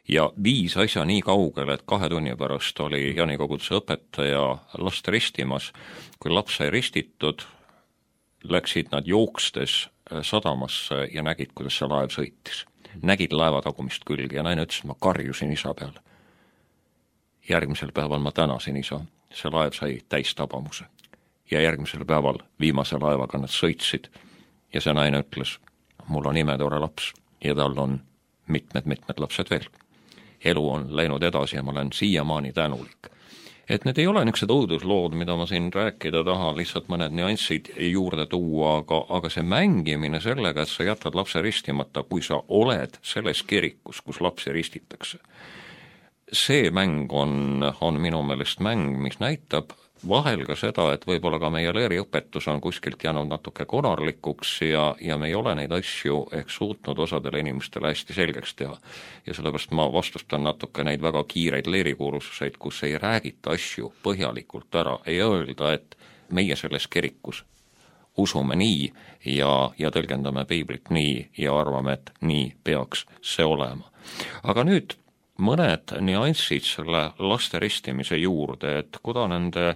Ja viis asja nii kaugele, et 2 tunni pärast oli Jaani-koguduse õpetaja last ristimas. Kui laps sai ristitud, läksid nad jookstes sadamasse ja nägid, kuidas see laev sõitis. Nägid laeva tagumist külge ja naine ütles, ma karjusin isa peale. Järgmisel päeval ma tänasin isa, see laev sai täis tabamuse. Ja järgmisel päeval viimase laevaga nad sõitsid ja see naine ütles, mul on imetore laps ja tal on mitmed lapsed veel. Elu on läinud edasi ja ma olen siiamaani tänulik. Et need ei ole niisugused õuduslood, mida ma siin rääkida tahan, lihtsalt mõned nüanssid juurde tuua, aga see mängimine sellega, et sa jätad lapse ristimata, kui sa oled selles kirikus, kus lapsi ristitakse. See mäng on minu meelest mäng, mis näitab vahel ka seda, et võib-olla ka meie leeriõpetus on kuskilt jäänud natuke konarlikuks ja me ei ole neid asju ehk suutnud osadele inimestele hästi selgeks teha. Ja sellepärast ma vastustan natuke neid väga kiireid leerikursuseid, kus ei räägita asju põhjalikult ära, ei öelda, et meie selles kirikus usume nii ja tõlgendame piiblit nii ja arvame, et nii peaks see olema. Aga nüüd mõned nüansid selle laste ristimise juurde, et kuda nende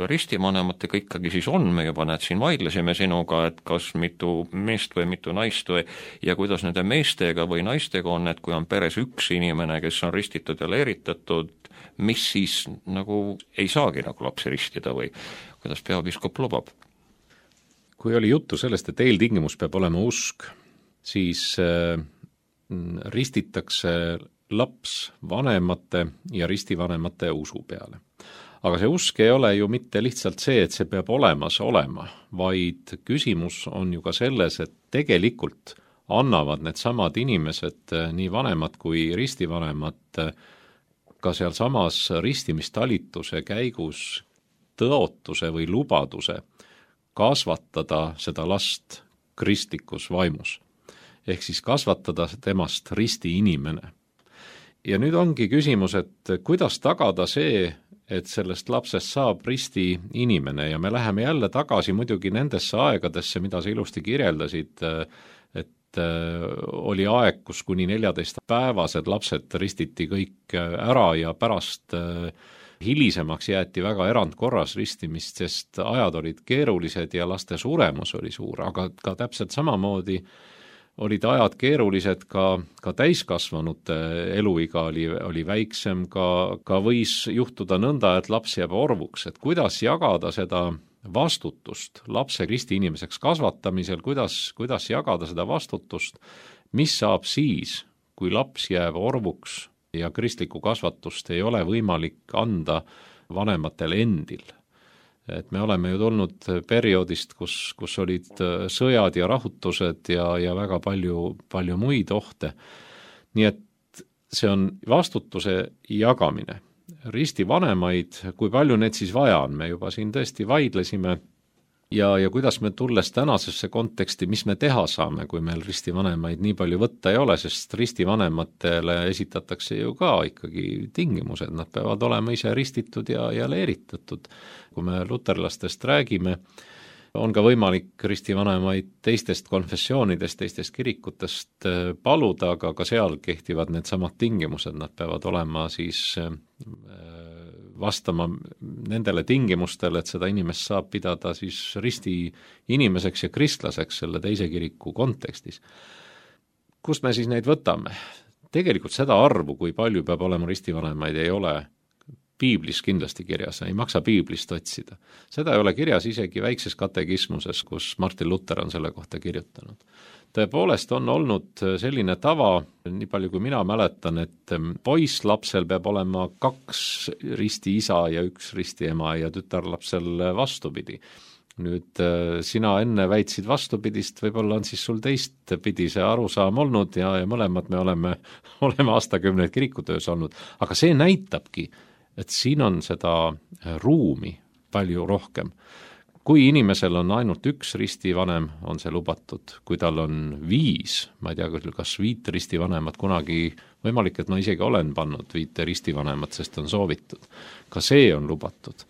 ristivanematega ikkagi siis on, me juba siin vaidlesime sinuga, et kas mitu meest või mitu naist ja kuidas nende meestega või naistega on, et kui on peres üks inimene, kes on ristitud ja leeritatud, mis siis nagu ei saagi nagu lapsi ristida või kuidas peapiiskop lubab? Kui oli juttu sellest, et eeltingimus peab olema usk, siis ristitakse laps vanemate ja ristivanemate usu peale. Aga see usk ei ole ju mitte lihtsalt see, et see peab olemas olema, vaid küsimus on ju ka selles, et tegelikult annavad need samad inimesed, nii vanemad kui ristivanemad, ka sealsamas ristimistalituse käigus tõotuse või lubaduse kasvatada seda last kristlikus vaimus. Ehk siis kasvatada temast risti inimene. Ja nüüd ongi küsimus, et kuidas tagada see, et sellest lapsest saab risti inimene ja me läheme jälle tagasi muidugi nendesse aegadesse, mida sa ilusti kirjeldasid, et oli aeg, kus kuni 14-päevased lapsed ristiti kõik ära ja pärast hilisemaks jäeti väga erandkorras ristimist, sest ajad olid keerulised ja laste suremus oli suur, aga ka täpselt samamoodi olid ajad keerulised ka täiskasvanute eluiga oli väiksem, ka võis juhtuda nõnda, et laps jääb orvuks, et kuidas jagada seda vastutust lapse risti inimeseks kasvatamisel, kuidas jagada seda vastutust, mis saab siis, kui laps jääb orvuks ja kristlikku kasvatust ei ole võimalik anda vanematel endil. Et me oleme ju tulnud perioodist, kus olid sõjad ja rahutused ja väga palju muid ohte. Nii et see on vastutuse jagamine. Ristivanemaid, kui palju need siis vaja on, me juba siin tõesti vaidlesime ja kuidas me tulles tänasesse konteksti, mis me teha saame, kui meil ristivanemaid nii palju võtta ei ole, sest ristivanematele esitatakse ju ka ikkagi tingimused, nad peavad olema ise ristitud ja leeritatud. Kui me luterlastest räägime, on ka võimalik ristivanemaid teistest konfessioonidest, teistest kirikutest paluda, aga ka seal kehtivad need samad tingimused, nad peavad olema siis vastama nendele tingimustele, et seda inimest saab pidada siis risti inimeseks ja kristlaseks selle teise kiriku kontekstis. Kust me siis neid võtame? Tegelikult seda arvu, kui palju peab olema ristivanemaid, ei ole piiblis kindlasti kirjas, ei maksa piiblist otsida. Seda ei ole kirjas isegi väikses katekismuses, kus Martin Luther on selle kohta kirjutanud. Tõepoolest on olnud selline tava, nii palju kui mina mäletan, et poisslapsel peab olema 2 risti isa ja 1 risti ema ja tütarlapsel vastupidi. Nüüd sina enne väitsid vastupidist, võib-olla on siis sul teistpidi see arusaam olnud ja mõlemad me oleme aastakümneid kirikutöös olnud, aga see näitabki, et siin on seda ruumi palju rohkem. Kui inimesel on ainult 1 ristivanem, on see lubatud. Kui tal on 5, ma ei tea, kas 5 ristivanemat kunagi, võimalik, et ma isegi olen pannud 5 ristivanemat, sest on soovitud. Ka see on lubatud.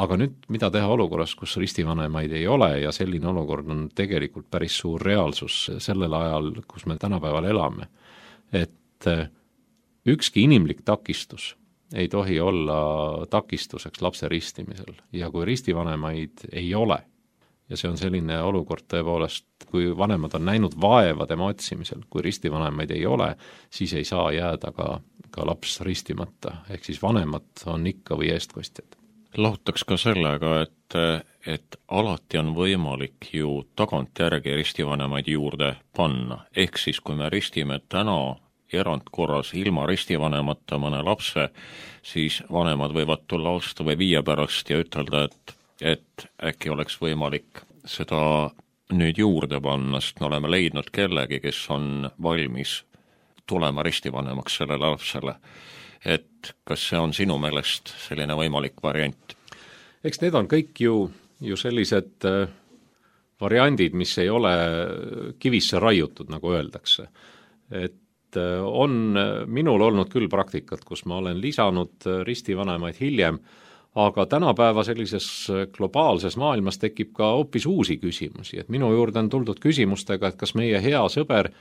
Aga nüüd, mida teha olukorras, kus ristivanemaid ei ole ja selline olukord on tegelikult päris suur reaalsus sellel ajal, kus me tänapäeval elame. Et ükski inimlik takistus ei tohi olla takistuseks lapse ristimisel ja kui ristivanemaid ei ole ja see on selline olukord tõepoolest, kui vanemad on näinud vaeva tema otsimisel, kui ristivanemaid ei ole, siis ei saa jääda ka laps ristimata, ehk siis vanemad on ikka või eestkostjad. Lahutaks ka sellega, et alati on võimalik ju tagantjärgi ristivanemaid juurde panna, ehk siis kui me ristime täna erandkorras ilma ristivanemata mõne lapse, siis vanemad võivad tulla aasta või 5 pärast ja ütelda, et äkki oleks võimalik seda nüüd juurde panna, sest me oleme leidnud kellegi, kes on valmis tulema ristivanemaks sellele lapsele. Et kas see on sinu meelest selline võimalik variant? Eks need on kõik ju sellised variandid, mis ei ole kivisse raiutud, nagu öeldakse. Et on minul olnud küll praktikat, kus ma olen lisanud ristivanemaid hiljem, aga tänapäeva sellises globaalses maailmas tekib ka hoopis uusi küsimusi, et minu juurde on tuldud küsimustega, et kas meie hea sõber,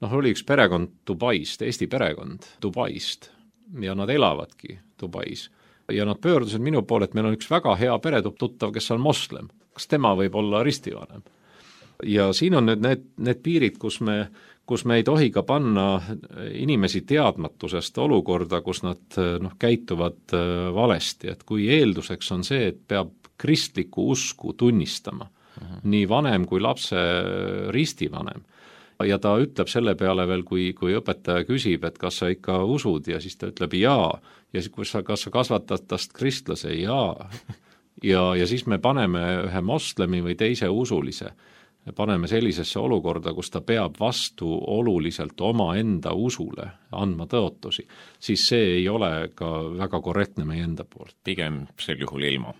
oli üks perekond Dubaist, Eesti perekond Dubaist ja nad elavadki Dubais ja nad pöördusid minu poole, et meil on üks väga hea peretuttav, kes on moslem, kas tema võib olla ristivanem? Ja siin on nüüd need piirid, kus me ei tohi ka panna inimesi teadmatusest olukorda, kus nad käituvad valesti, et kui eelduseks on see, et peab kristlikku usku tunnistama, nii vanem kui lapse ristivanem, ja ta ütleb selle peale veel, kui õpetaja küsib, et kas sa ikka usud, ja siis ta ütleb jaa, ja kas sa kasvatad tast kristlase, jaa, ja siis me paneme ühe moslemi või teise usulise, paneme sellisesse olukorda, kus ta peab vastu oluliselt oma enda usule andma tõotusi, siis see ei ole ka väga korrektne meie enda poolt. Pigem sel juhul ilma.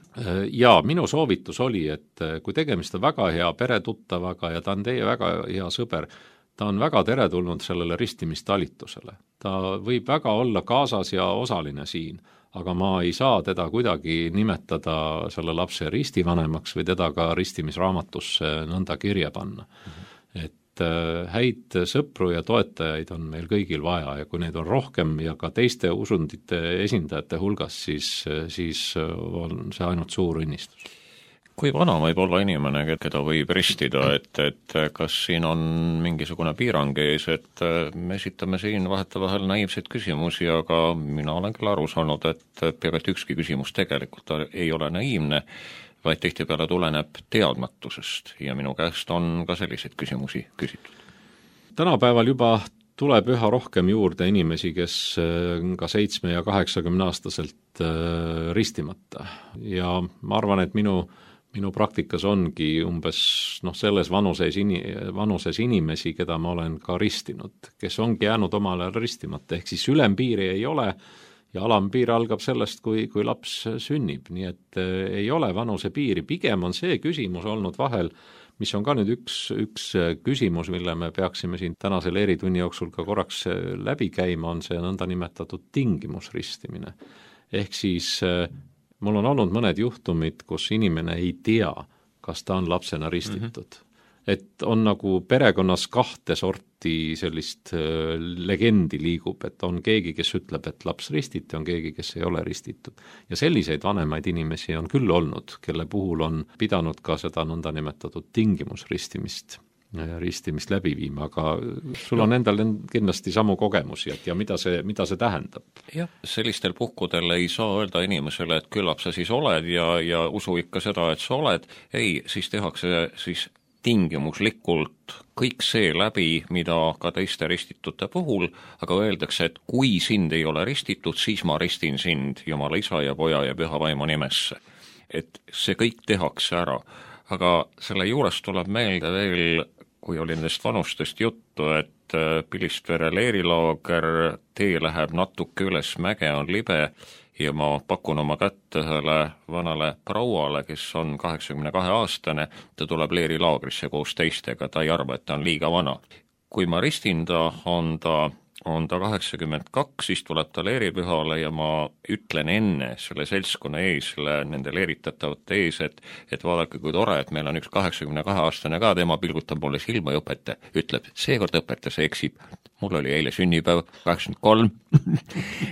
Ja minu soovitus oli, et kui tegemist on väga hea peretuttavaga ja ta on teie väga hea sõber, ta on väga teretulnud sellele ristimistalitusele. Ta võib väga olla kaasas ja osaline siin, aga ma ei saa teda kuidagi nimetada selle lapse ristivanemaks või teda ka ristimisraamatusse nõnda kirja panna. Et häid sõpru ja toetajaid on meil kõigil vaja ja kui neid on rohkem ja ka teiste usundite esindajate hulgas, siis on see ainult suur õnnistus. Kui vana võib olla inimene, keda võib ristida, et kas siin on mingisugune piirang ees, et me esitame siin vahetevahel naiivseid küsimusi, aga mina olen küll aru saanud, et peaaegu ükski küsimus tegelikult ei ole naiivne, vaid tihtipeale tuleneb teadmatusest ja minu käest on ka selliseid küsimusi küsitud. Tänapäeval juba tuleb üha rohkem juurde inimesi, kes ka 7- ja 80-aastaselt ristimata ja ma arvan, et minu minu praktikas ongi umbes selles vanuses inimesi, keda ma olen ka ristinud, kes ongi jäänud omal ajal ristimata, ehk siis ülempiiri ei ole ja alampiir algab sellest, kui laps sünnib, nii et ei ole vanusepiiri, pigem on see küsimus olnud vahel, mis on ka nüüd üks küsimus, mille me peaksime siin tänase leeritunni jooksul ka korraks läbi käima, on see nõndanimetatud tingimusristimine. Ehk siis mul on olnud mõned juhtumid, kus inimene ei tea, kas ta on lapsena ristitud. Et on nagu perekonnas kahte sorti sellist legendi liigub, et on keegi, kes ütleb, et laps ristiti, on keegi, kes ei ole ristitud. Ja selliseid vanemaid inimesi on küll olnud, kelle puhul on pidanud ka seda nõndanimetatud tingimusristimist läbi viima, aga sul on endal kindlasti samu kogemusi, ja mida see tähendab? Jah, sellistel puhkudel ei saa öelda inimesele, et küllap sa siis oled ja usu ikka seda, et sa oled. Ei, siis tehakse siis tingimuslikult kõik see läbi, mida ka teiste ristitute puhul, aga öeldakse, et kui sind ei ole ristitud, siis ma ristin sind Jumala Isa ja Poja ja Püha Vaimu nimesse. Et see kõik tehakse ära. Aga selle juures tuleb meelde veel, kui oli nendest vanustest juttu, et Pilistvere leerilaager, tee läheb natuke üles, mäge on libe ja ma pakun oma kätt ühele vanale prouale, kes on 82-aastane, ta tuleb leerilaagrisse koos teistega, ta ei arva, et ta on liiga vana. Kui ma ristin ta, on ta 82, siis tuleb ta leeripühale ja ma ütlen enne selle seltskonna ees, nende leeritatavate ees, et vaadake, kui tore, et meil on üks 82-aastane ka, tema pilgutab mulle silma ja ütleb, seekord õpetas eksib. Mul oli eile sünnipäev, 83.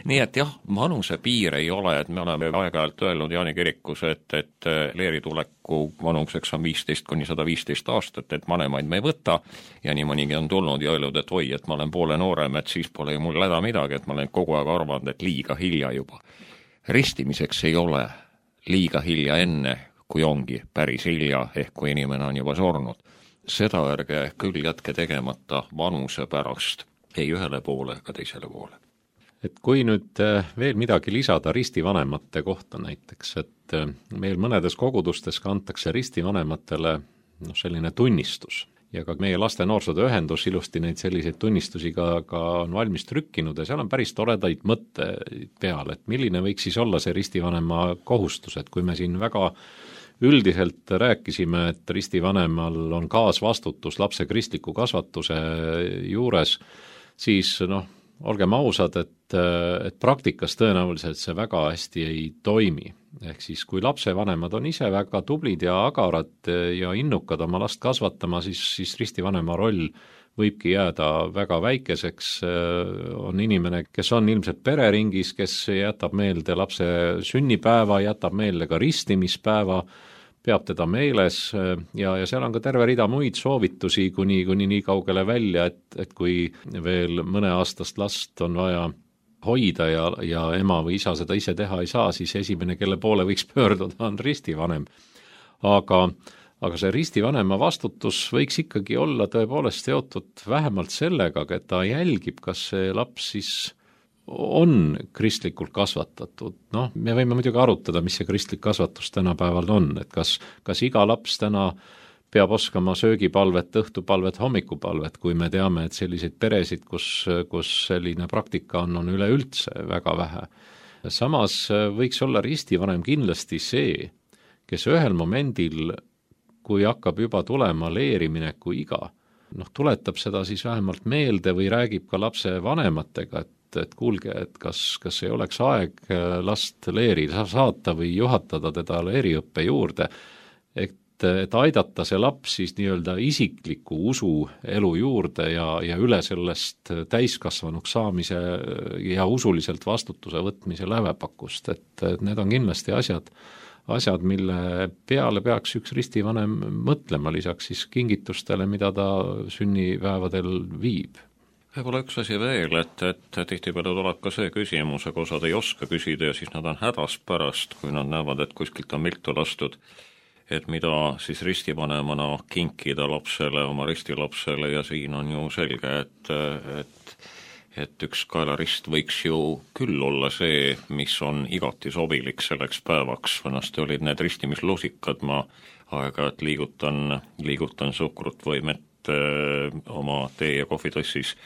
Nii et jah, vanuse piir ei ole, et me oleme aeg-ajalt öelnud Jaani kirikus, et leerituleku vanuseks on 15–115 aastat, et vanemaid me ei võta ja nii mõnigi on tulnud ja öelnud, et oi, et ma olen poole noorem, et siis pole ju mul häda midagi, et ma olen kogu aeg arvanud, et liiga hilja juba. Ristimiseks ei ole liiga hilja enne, kui ongi päris hilja, ehk kui inimene on juba surnud. Seda ärge küll jätke tegemata vanuse pärast, ei ühele poole ega teisele poole. Et kui nüüd veel midagi lisada ristivanemate kohta näiteks, et meil mõnedes kogudustes kantakse ristivanematele selline tunnistus ja ka meie laste noorsootöö ühendus ilusti neid selliseid tunnistusi ka on valmis trükkinud ja seal on päris toredaid mõtteid peal, et milline võiks siis olla see ristivanema kohustus, et kui me siin väga üldiselt rääkisime, et ristivanemal on kaasvastutus lapse kristliku kasvatuse juures, siis olgem ausad, et praktikas tõenäoliselt see väga hästi ei toimi. Ehk siis kui lapsevanemad on ise väga tublid ja agarad ja innukad oma last kasvatama, siis ristivanema roll võibki jääda väga väikeseks, on inimene, kes on ilmselt pereringis, kes jätab meelde lapse sünnipäeva, jätab meelde ka ristimispäeva, peab teda meeles ja seal on ka terve rida muid soovitusi kuni nii kaugele välja, et kui veel mõneaastast last on vaja hoida ja ema või isa seda ise teha ei saa, siis esimene, kelle poole võiks pöörduda, on ristivanem. Aga see ristivanema vastutus võiks ikkagi olla tõepoolest seotud vähemalt sellega, et ta jälgib, kas see laps siis on kristlikult kasvatatud. Me võime muidugi arutada, mis see kristlik kasvatus tänapäeval on, et kas iga laps täna peab oskama söögipalvet, õhtupalvet, hommikupalvet, kui me teame, et selliseid peresid, kus selline praktika on üleüldse väga vähe. Samas võiks olla ristivanem kindlasti see, kes ühel momendil, kui hakkab juba tulema leerimineku iga, tuletab seda siis vähemalt meelde või räägib ka lapse vanematega, et kuulge, et kas ei oleks aeg last leeri saata või juhatada teda leeriõppe juurde, et aidata see laps siis nii-öelda isikliku usu elu juurde ja üle sellest täiskasvanuks saamise ja usuliselt vastutuse võtmise lävepakust, et need on kindlasti asjad, mille peale peaks üks ristivanem mõtlema lisaks siis kingitustele, mida ta sünnipäevadel viib. Võib-olla üks asi veel, et tihtipeale tuleb ka see küsimus, aga osad ei oska küsida ja siis nad on hädas pärast, kui nad näevad, et kuskilt on viltu lastud, et mida siis ristivanemana kinkida lapsele, oma ristilapsele ja siin on ju selge, et üks kaelarist võiks ju küll olla see, mis on igati sobilik selleks päevaks, vanasti olid need ristimislusikad, ma aeg-ajalt liigutan suhkrut või mett oma tee- ja kohvitassis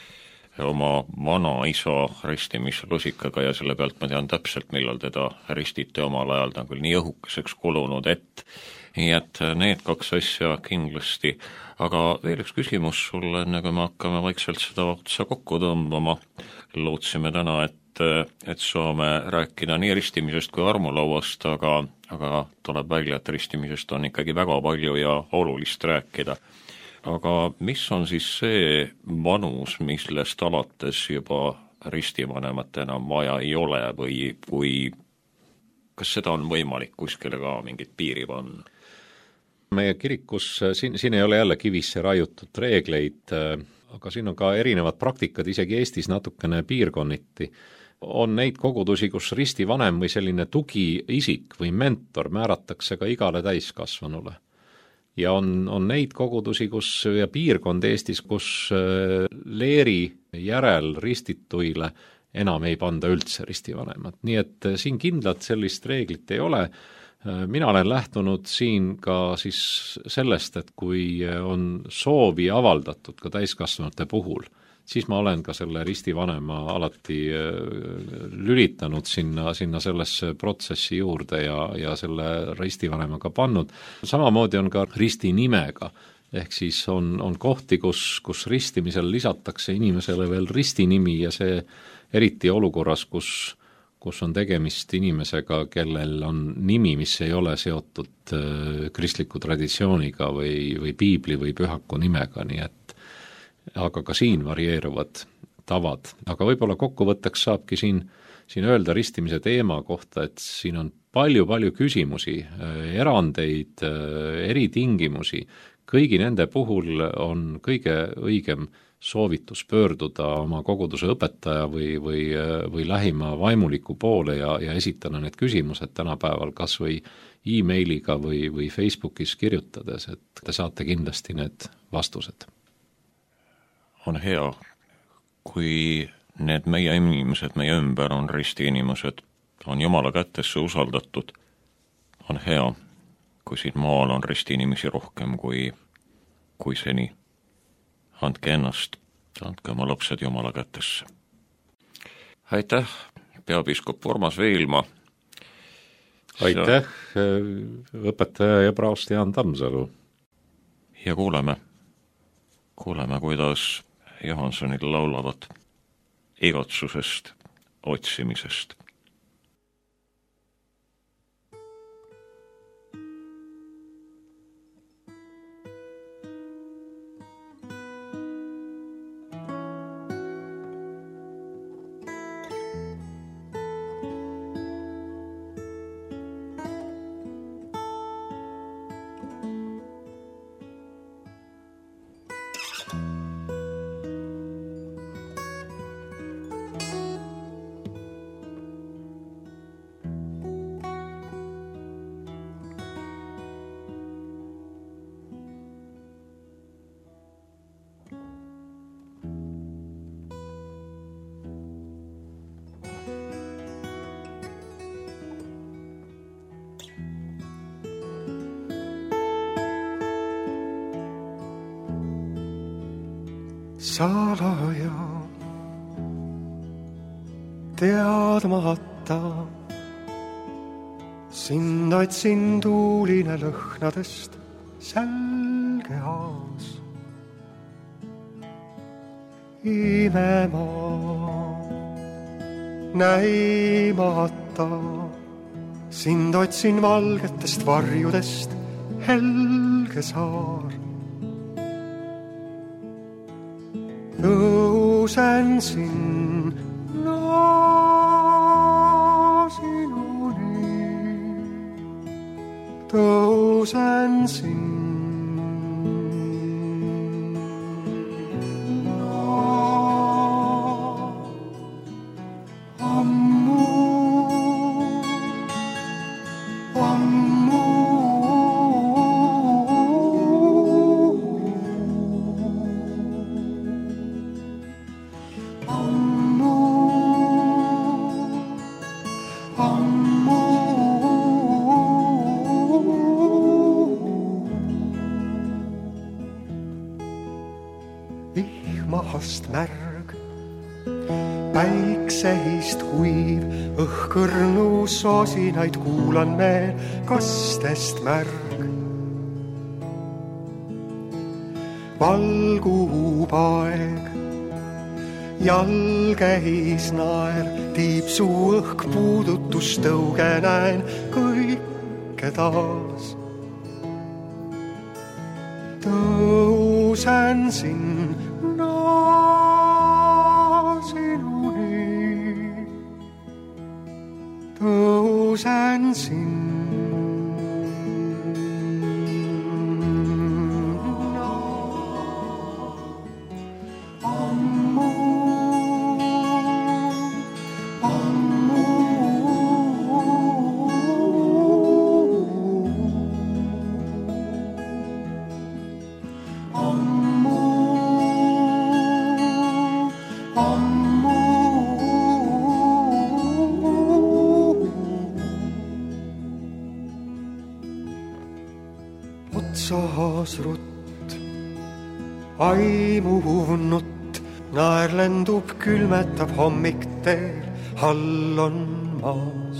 oma vanaisa ristimislusikaga ja selle pealt ma tean täpselt, millal teda ristiti omal ajal, ta on küll nii õhukeseks kulunud, nii et need kaks asja kindlasti. Aga veel üks küsimus sulle, enne kui me hakkame vaikselt seda otsa kokku tõmbama. Lootsime täna, et saame rääkida nii ristimisest kui armulauast, aga tuleb välja, et ristimisest on ikkagi väga palju ja olulist rääkida. Aga mis on siis see vanus, millest alates juba ristivanemat enam vaja ei ole või kas seda on võimalik kuskile ka mingit piiri panna? Meie kirikus, siin ei ole jälle kivisse raiutud reegleid, aga siin on ka erinevad praktikad, isegi Eestis natukene piirkonniti. On neid kogudusi, kus ristivanem või selline tugiisik või mentor määratakse ka igale täiskasvanule. Ja on neid kogudusi, ja piirkond Eestis, kus leeri järel ristituile enam ei panda üldse ristivanemat. Nii et siin kindlalt sellist reeglit ei ole. Mina olen lähtunud siin ka siis sellest, et kui on soovi avaldatud ka täiskasvanute puhul, siis ma olen ka selle ristivanema alati lülitanud sinna sellesse protsessi juurde ja selle ristivanemaga pannud. Samamoodi on ka ristinimega, ehk siis on kohti, kus ristimisel lisatakse inimesele veel ristinimi ja see eriti olukorras, kus on tegemist inimesega, kellel on nimi, mis ei ole seotud kristliku traditsiooniga või piibli või pühaku nimega, nii et aga ka siin varieeruvad tavad. Aga võib-olla kokkuvõtteks saabki siin öelda ristimise teema kohta, et siin on palju küsimusi, erandeid, eritingimusi. Kõigi nende puhul on kõige õigem soovitus pöörduda oma koguduse õpetaja või lähima vaimuliku poole ja esitada need küsimused tänapäeval kas või e-mailiga või Facebookis kirjutades, et te saate kindlasti need vastused. On hea, kui need meie inimesed meie ümber on ristiinimesed, on Jumala kätesse usaldatud. On hea, kui siin maal on ristiinimesi rohkem kui seni. Andke ennast, andke oma lapsed Jumala kätesse. Aitäh, peapiiskop Urmas Veilma. Aitäh, õpetaja ja praost Jaan Tammsalu. Ja kuuleme, kuidas Johansonid laulavad igatsusest, otsimisest. Salaja teadmata sind otsin tuuline lõhnadest sälge haas. Imemaa näimata sind otsin valgetest varjudest helge saar. Tõusen sinna sinuni, tõusen sinna ammu, ammu. vihmahast märg, päikseist kuiv, õhkõrnu sosinaid kuulan veel kastest märg. Valgub aeg, jalgeis naer, tiipsu õhk puudutus tõuge näen kõike taas. Tõusen sinna sinuni, tõusen sinna. Otsas rutt, aimuv nutt, naer lendub, külmetab hommik teel, hall on maas.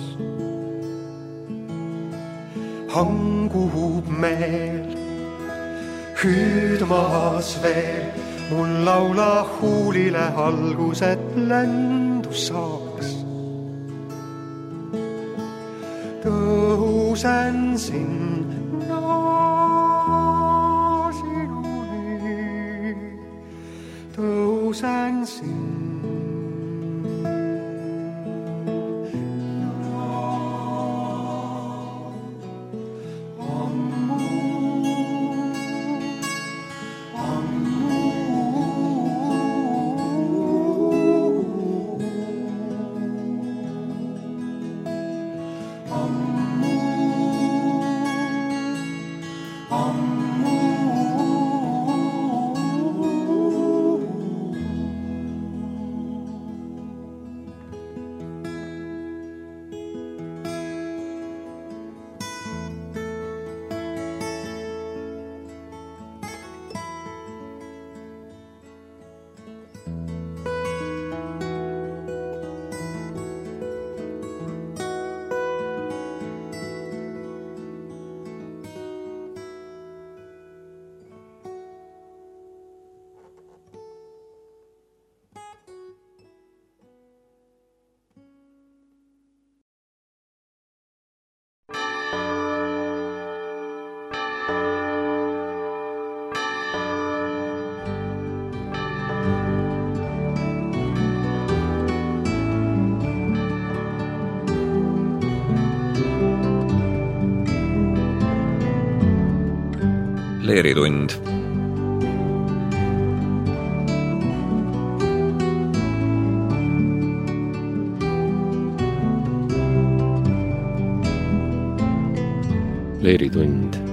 Hangub meel, hüüdmas veel, mul laula huulile algus, et lendu saaks. Tõusen sinna sinuni, tõusen sinna. Leeritund. Leeritund